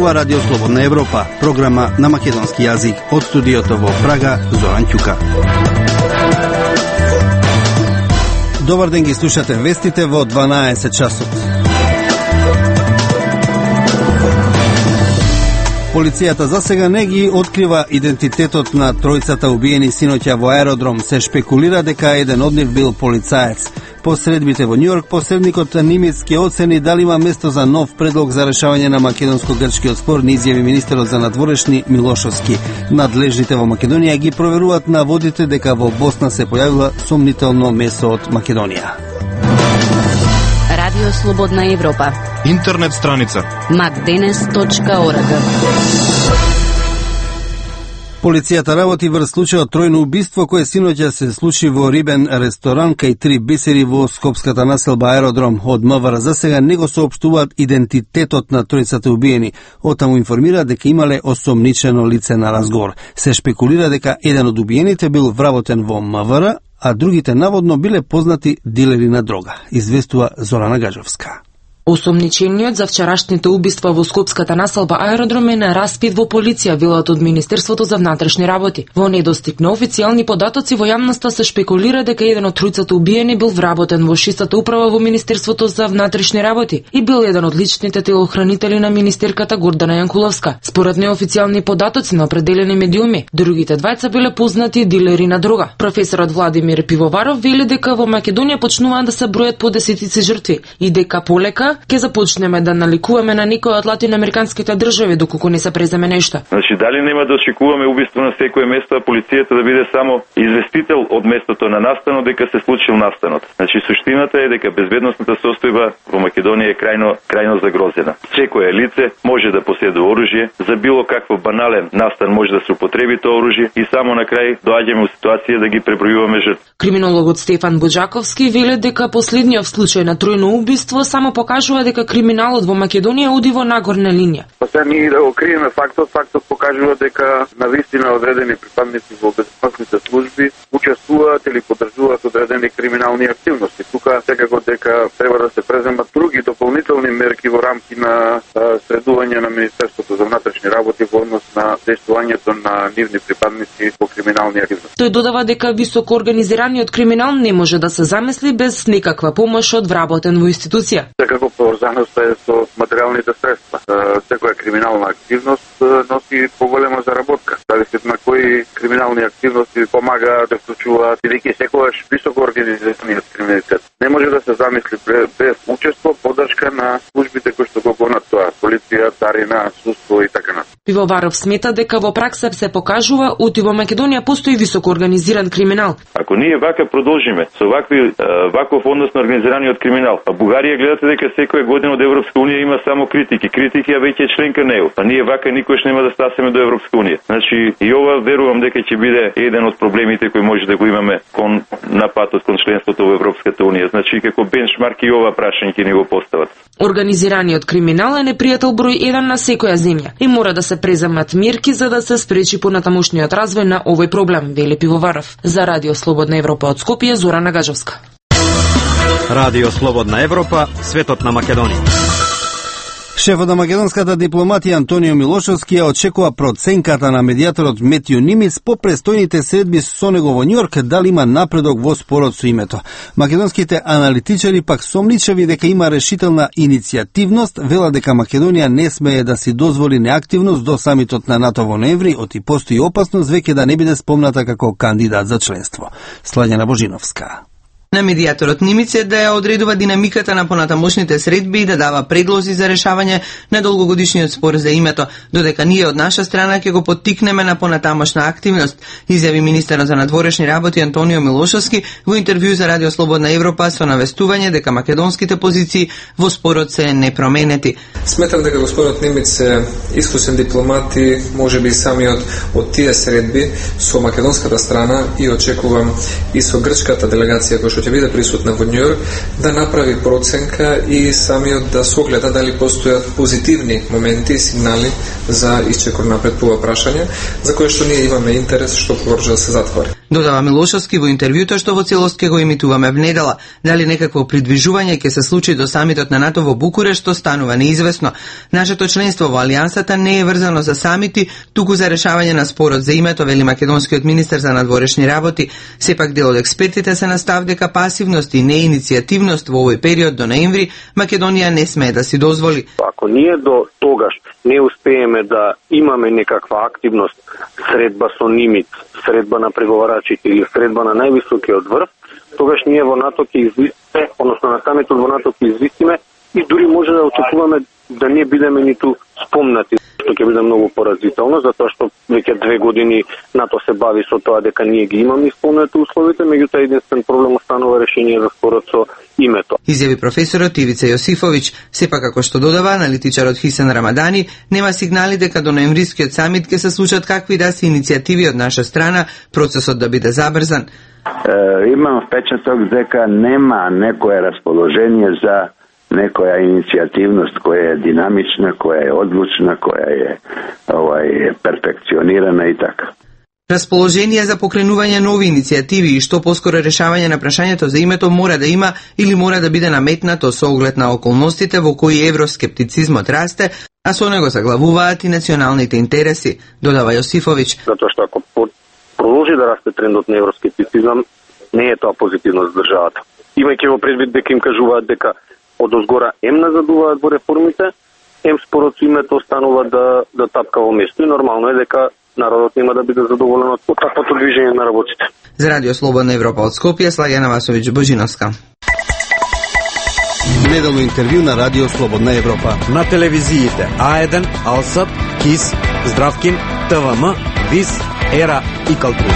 Ова Радио Слободна Европа, програма на македонски јазик од студиото во Прага, Зоран Ќука. Добар ден, ги слушате вестите во 12 часот. Полицијата за сега не ги открива идентитетот на тројцата убиени синоќа во аеродром. Се шпекулира дека еден од нив бил полицаец. По средбите во Њујорк, посредникот Нимец ќе оцени дали има место за нов предлог за решавање на македонско-грчкиот спор, ни изјави министерот за надворешни Милошовски. Надлежните во Македонија ги проверуваат наводите дека во Босна се појавила сомнително месо од Македонија. Радио Слободна Европа. Интернет страница macdenes.org. Полицијата работи врз случајот тројно убиство кое синоќа се случи во рибен ресторан кај 3 бисери во скопската населба аеродром. Од МВР за сега не го соопштуваат идентитетот на тројцата убиени. Отаму информира дека имале осомничено лице на разговор. Се шпекулира дека еден од убиените бил вработен во МВР, а другите наводно биле познати дилери на дрога, известува Зорана Гаџовска. Осомничениот за вчерашните убиства во скопската населба аеродром е на распит во полиција, велат од Министерството за внатрешни работи. Во недостиг на официјални податоци во јавноста се шпекулира дека еден од тројцата убиени бил вработен во шестата управа во Министерството за внатрешни работи и бил еден од личните телохранители на министерката Гордана Јанкуловска. Според неофицијални податоци на определени медиуми, другите двајца биле познати дилери на дрога. Професорот Владимир Пивоваров вели дека во Македонија почнуваат да се бројат по десетици жртви и дека полека ќе започнеме да наликуваме на некои од латиноамериканските држави доколку не се преземе нешто. Значи, дали нема да очекуваме убиство на секое место, а полицијата да биде само известител од местото на настанот дека се случил настанот. Значи, суштината е дека безбедносната состојба во Македонија е крајно загрозена. Секое лице може да поседува оружје, за било какво банален настан може да се употреби тоа оружје и само на крај доаѓаме во ситуација да ги пребројуваме жртви. Криминологот Стефан Буџаковски вели дека последниот случај на тројно убиство само покажува дека криминалот во Македонија оди во нагорна линија. Сега ние да го криеме фактот покажува дека навистина одредени припадници во безбедносните служби учествуваат или поддржуваат одредени криминални активности. Тука секако дека треба да се преземат други дополнителни мерки во рамки на средување на Министерството за внатрешни работи во однос на дејствувањето на нивни припадници во криминални активности. Тој додава дека високо организираниот криминал не може да се замисли без никаква помош од вработен во институција. Секако поврзаноста е со материјалните средства. Секоја криминална активност носи поголема заработка. Зависи на кои криминални активности помага да вклучуваат бидејќи секогаш високо организираниот криминалитет. Не може да се замисли без учество, поддршка на службите кои што го гонат тоа, полиција, царина, судство и така натаму. Пивоваров смета дека во пракса се покажува оти во Македонија постои високо организиран криминал. Ако ние вака продолжиме со ваков однос на организираниот криминал, а Бугарија гледате дека секоја година од Европска унија има само критики. Критики, а веќе е членка на ЕУ. А ние вака никош нема да стасеме до Европска унија. Значи, и ова верувам дека ќе биде еден од проблемите кои може да го имаме на патот кон членството во Европската унија. Значи, како бенчмарк и ова прашање ќе ни го постават. Организираниот криминал е непријател број 1 на секоја земја и мора да се преземат мерки за да се спречи понатамошниот развој на овој проблем, вели Пивоваров. За Радио Слободна Европа од Скопје, Зорана Гаџовска. Радио Слободна Европа, светот на Македонија. Шефот на македонската дипломатија Антонио Милошовски ја очекува проценката на медијаторот Метју Нимец по престојните средби со него во Њујорк дали има напредок во спорот со името. Македонските аналитичари пак сомничави дека има решителна иницијативност, вела дека Македонија не смее да си дозволи неактивност до самитот на НАТО во ноември, оти постои опасност веќе да не биде спомната како кандидат за членство. Слањана Божиновска. На медијаторот Нимец е да ја одредува динамиката на понатамошните средби и да дава предлози за решавање на долгогодишниот спор за името, додека ние од наша страна ќе го поттикнеме на понатамошна активност, изјави министерот за надворешни работи Антонио Милошовски во интервју за Радио Слободна Европа со навестување дека македонските позиции во спорот се непроменети. Сметам дека господинот Нимец е искусен дипломат и можеби самиот од тие средби со македонската страна и очекувам и со грчката делегација која што ќе биде присутна во Њујорк, да направи проценка и самиот да согледа дали постојат позитивни моменти и сигнали за исчекор напред по ова прашање, за кое што ние имаме интерес што порџа да се затвори. Додава Милошовски во интервјуто што во целост ќе го емитуваме внедела. Дали некакво придвижување ќе се случи до самитот на НАТО во Букурешт станува неизвестно. Нашето членство во Алијансата не е врзано за самити, туку за решавање на спорот за името, вели македонскиот министер за надворешни работи. Сепак дел од експертите се на став дека пасивност и неиницијативност во овој период до ноември Македонија не смее да си дозволи. Ако ние до тогаш не успееме да имаме некаква активност, средба со нимит, средба на преговарачите или средба на највисокиот врв, тогаш ние во НАТО ќе извисиме, односно на самитот во НАТО ќе извисиме и дури може да очекуваме да не бидеме ниту спомнати, што ќе биде многу поразително, затоа што веќе 2 години НАТО се бави со тоа дека ние ги имаме исполнети условите, меѓутоа единствен проблем останува решение за спорот со името. Изјави професорот Ивица Јосифовиќ. Сепак, како што додава аналитичарот Хисен Рамадани, нема сигнали дека до ноемврискиот самит ќе се случат какви да се иницијативи од наша страна, процесот да биде забрзан. Имам впечаток дека нема некое расположение за некоја иницијативност која е динамична, која е одлучна, која е перфекционирана и така. Расположение за покренување нови иницијативи и што поскоро решавање на прашањето за името мора да има или мора да биде наметнато со оглед на околностите во кои евроскептицизмот расте, а со него заглавуваат и националните интереси, додава Јосифовиќ. Затоа што ако продолжи да расте трендот на евроскептицизам, не е тоа позитивно за државата. Имајќи во предвид дека им кажуваат дека од озгора назадуваат во реформите, спорот со името останува да тапка во место и нормално е дека народот нема да биде задоволен од таквото движење на работите. За Радио Слободна Европа од Скопје, Слагена Васовиќ Божиновска. Неделно интервју на Радио Слободна Европа. На телевизиите А1, Алсат, КИС, Здравкин, ТВМ, ВИС, ЕРА и Калтру.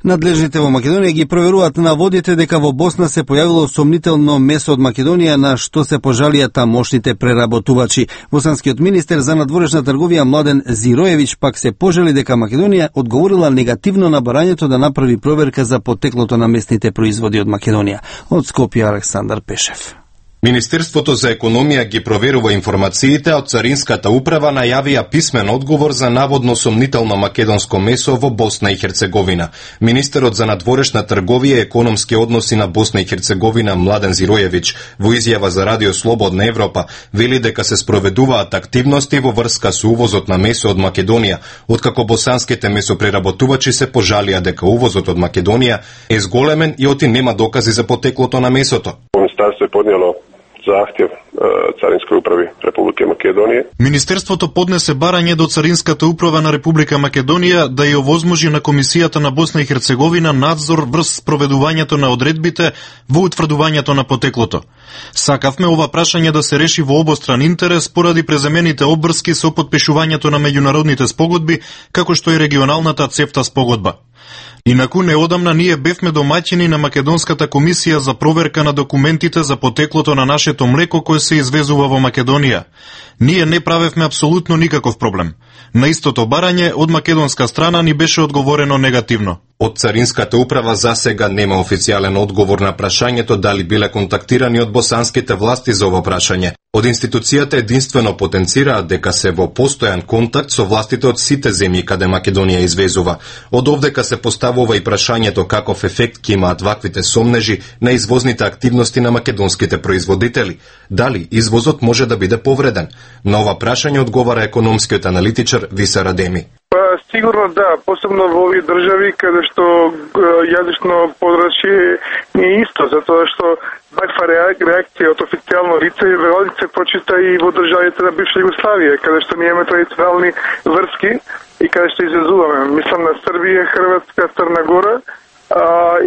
Надлежните во Македонија ги проверуваат наводите дека во Босна се појавило сомнително месо од Македонија, на што се пожалија тамошните преработувачи. Босанскиот министер за надворешна трговија Младен Зироевиќ пак се пожали дека Македонија одговорила негативно на барањето да направи проверка за потеклото на местните производи од Македонија. Од Скопје Александар Пешев. Министерството за економија ги проверува информациите, а од Царинската управа најавија писмен одговор за наводно сомнително македонско месо во Босна и Херцеговина. Министерот за надворешна трговија и економски односи на Босна и Херцеговина Младен Зироевиќ во изјава за Радио Слободна Европа вели дека се спроведуваат активности во врска со увозот на месо од Македонија, откако босанските месопреработувачи се пожалија дека увозот од Македонија е зголемен и оти нема докази за потеклото на месото. Министерство е поднело захтев Царинској управи Република Македонија. Министерството поднесе барање до Царинската управа на Република Македонија да ја овозможи на Комисијата на Босна и Херцеговина надзор врз спроведувањето на одредбите во утврдувањето на потеклото. Сакавме ова прашање да се реши во обостран интерес поради преземените обврски со потпишувањето на меѓународните спогодби, како што и регионалната ЦЕФТА спогодба. Инаку неодамна ние бевме домаќини на Македонската комисија за проверка на документите за потеклото на нашето млеко кое се извезува во Македонија. Ние не правевме апсолутно никаков проблем. На истото барање од македонска страна ни беше одговорено негативно. Од Царинската управа за сега нема официјален одговор на прашањето дали биле контактирани од босанските власти за ова прашање. Од институцијата единствено потенцираат дека се во постојан контакт со властите од сите земји каде Македонија извезува. Од овдека се поставува и прашањето каков ефект ќе имаат ваквите сомнежи на извозните активности на македонските производители. Дали извозот може да биде повреден? На ова прашање одговара економскиот аналитичар Виса Радеми. Сигурно да, посебно во овие држави каде што јазично подрачје не е исто, затоа што ваква реакција од официјално лице се прочита и во државите на бивша Југославија, каде што ние имаме традиционални врски и каде што извезуваме. Мислам на Србија, Хрватска, Црна Гора,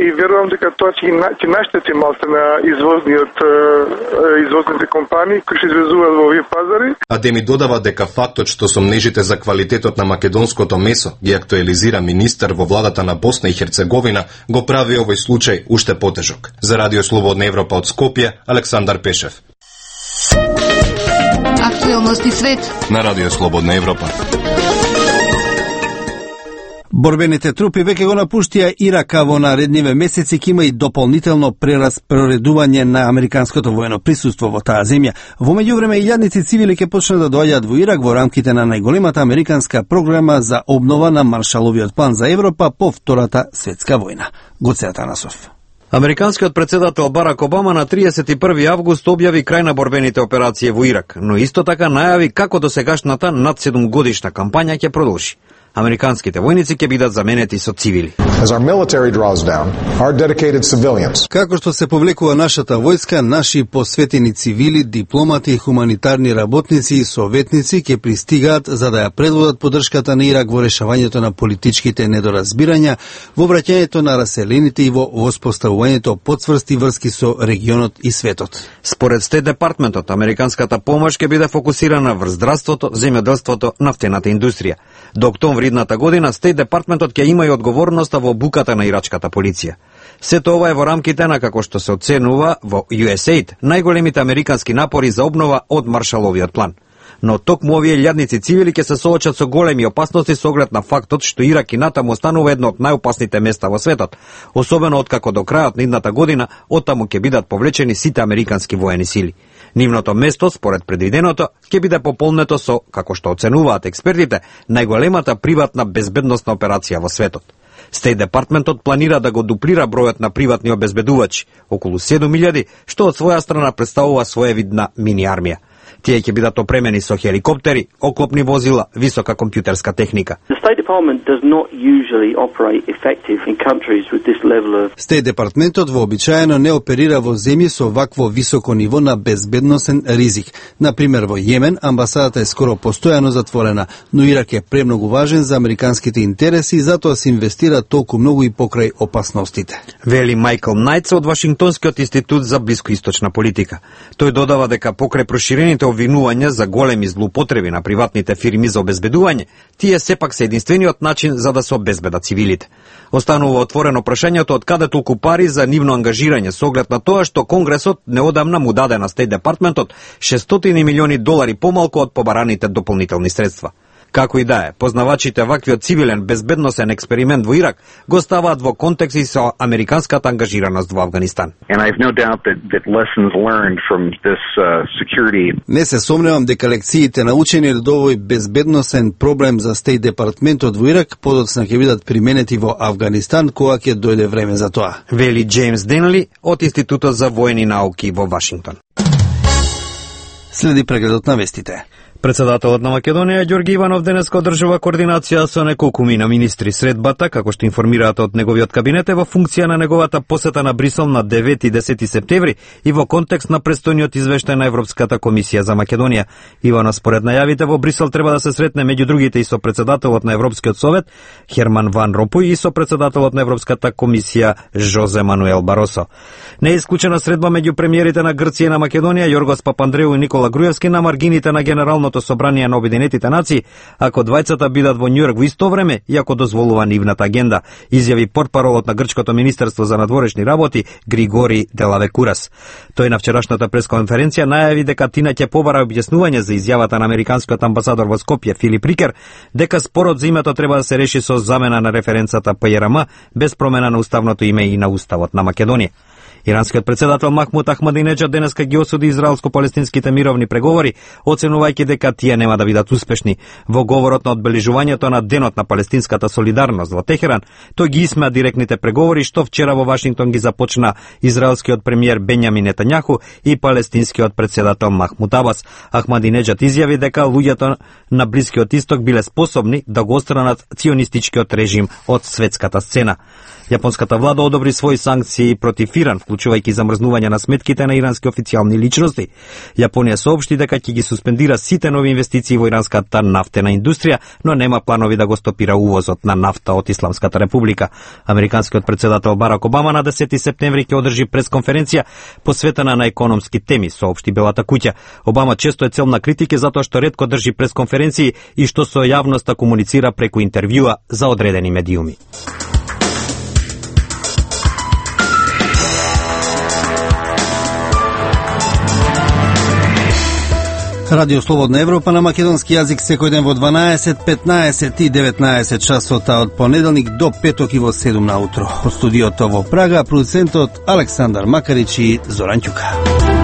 и верувам дека тоа ќе наштети малку на извозните компании кои што извезуваат во овие пазари. Адеми додава дека фактот што сомнежите за квалитетот на македонското месо ги актуализира министер во владата на Босна и Херцеговина го прави овој случај уште потежок. За Радио Слободна Европа од Скопје, Александар Пешев. Актуелности свет на Радио Слободна Европа. Борбените трупи веќе го напуштија Ирак, а во наредниве месеци ќе има и дополнително прераспоредување на американското воено присуство во таа земја. Во меѓувреме илјадници цивили ќе почнат да доаѓаат во Ирак во рамките на најголемата американска програма за обнова на Маршаловиот план за Европа по Втората светска војна. Гоце Атанасов. Американскиот председател Барак Обама на 31. август објави крај на борбените операции во Ирак, но исто така најави како досегашната над 7 годишна кампања ќе продолжи. Американските војници ќе бидат заменети со цивили. Како што се повлекува нашата војска, наши посветени цивили, дипломати, хуманитарни работници и советници ќе пристигаат за да ја предводат поддршката на Ирак во решавањето на политичките недоразбирања, во враќањето на раселените и во воспоставувањето подцврсти врски со регионот и светот. Според Стейт департментот, американската помош ќе биде фокусирана врз здравството, земјоделството, нафтената индустрија. До октомври идната година Стейт департментот ќе има и одговорноста во буката на ирачката полиција. Сето ова е во рамките на, како што се оценува во USAID, најголемите американски напори за обнова од Маршаловиот план. Но токму овие илјадници цивили ќе се соочат со големи опасности со оглед на фактот што Ирак и натаму останува едно од најопасните места во светот, особено откако до крајот на идната година оттаму ќе бидат повлечени сите американски воени сили. Нивното место, според предвиденото, ќе биде пополнето со, како што оценуваат експертите, најголемата приватна безбедносна операција во светот. Стейт департментот планира да го дуплира бројот на приватни обезбедувачи, околу 7.000, што од своја страна представува своевидна мини армија. Тие ќе бидат опремени со хеликоптери, оклопни возила, висока компјутерска техника. Стейт департментот вообичаено не оперира во земји со вакво високо ниво на безбедносен ризик. Например, во Јемен амбасадата е скоро постојано затворена, но Ирак е премногу важен за американските интереси и затоа се инвестира толку многу и покрај опасностите. Вели Майкл Најтс од Вашингтонскиот институт за блискоисточна политика. Тој додава дека покрај проширените обвинувања за големи злоупотреби на приватните фирми за обезбедување, тие сепак се единствениот начин за да се обезбедат цивилите. Останува отворено прашањето од каде толку пари за нивно ангажирање со оглед на тоа што Конгресот неодамна му даде на Стейт департментот $600 милиони помалку од побараните дополнителни средства. Како и да е, познавачите ваквиот цивилен безбедносен експеримент во Ирак го ставаат во контекст и со американската ангажираност во Авганистан. Не се сомневам дека лекциите научени од овој безбедносен проблем за Стейт департментот во Ирак подоцна ќе бидат применети во Авганистан кога ќе дојде време за тоа. Вели Джеймс Денли од Институтот за воени науки во Вашингтон. Следи прегледот на вестите. Председателот на Македонија Ѓорги Иванов денеска одржува координација со неколкумина министри. Средбата, како што информираат од неговиот кабинет, е во функција на неговата посета на Брисел на 9 и 10 септември и во контекст на престојниот извештај на Европската комисија за Македонија. Иванов според најавите во Брисел треба да се сретне меѓу другите и со председателот на Европскиот совет Херман Ван Ромпуј и со председателот на Европската комисија Жозе Мануел Баросо. Не е исклучена средба меѓу премиерите на Грција и на Македонија Јоргос Папандреу и Никола Груевски на маргините на Генералното собрание на Обединетите нации, ако двајцата бидат во Њујорк во исто време и ако дозволува нивната агенда, изјави портпаролот на Грчкото министерство за надворешни работи Григори Делавекурас. Тој на вчерашната пресконференција најави дека Тина ќе побара објаснување за изјавата на американскиот амбасадор во Скопје Филип Рикер, дека спорот за името треба да се реши со замена на референцата ПЈРМ без промена на уставното име и на уставот на Македонија. Иранскиот председател Махмуд Ахмадинеджад денеска ги осуди израелско-палестинските мировни преговори, оценувајќи дека тие нема да бидат успешни. Во говорот на одбележувањето на Денот на палестинската солидарност во Техеран, тој ги исмеа директните преговори што вчера во Вашингтон ги започна израелскиот премиер Бенјамин Нетањаху и палестинскиот председател Махмуд Абас. Ахмадинеджад изјави дека луѓето на Блискиот исток биле способни да го отстранат ционистичкиот режим од светската сцена. Јапонската влада одобри своји санкции против Иран, вклучувајќи замрзнување на сметките на ирански официјални личности. Јапонија соопшти дека ќе ги суспендира сите нови инвестиции во иранската нафтена индустрија, но нема планови да го стопира увозот на нафта од Исламската република. Американскиот председател Барак Обама на 10 септември ќе одржи пресконференција посветена на економски теми, соопшти Белата куќа. Обама често е цел на критики затоа што ретко држи пресконференции и што со јавноста комуницира преку интервјуа за одредени медиуми. Радио Слободна Европа на македонски јазик секој ден во 12, 15 и 19 часота од понеделник до петок и во 7 наутро. Од студиото во Прага, продуцентот Александар Макарич и Зоран Ќука.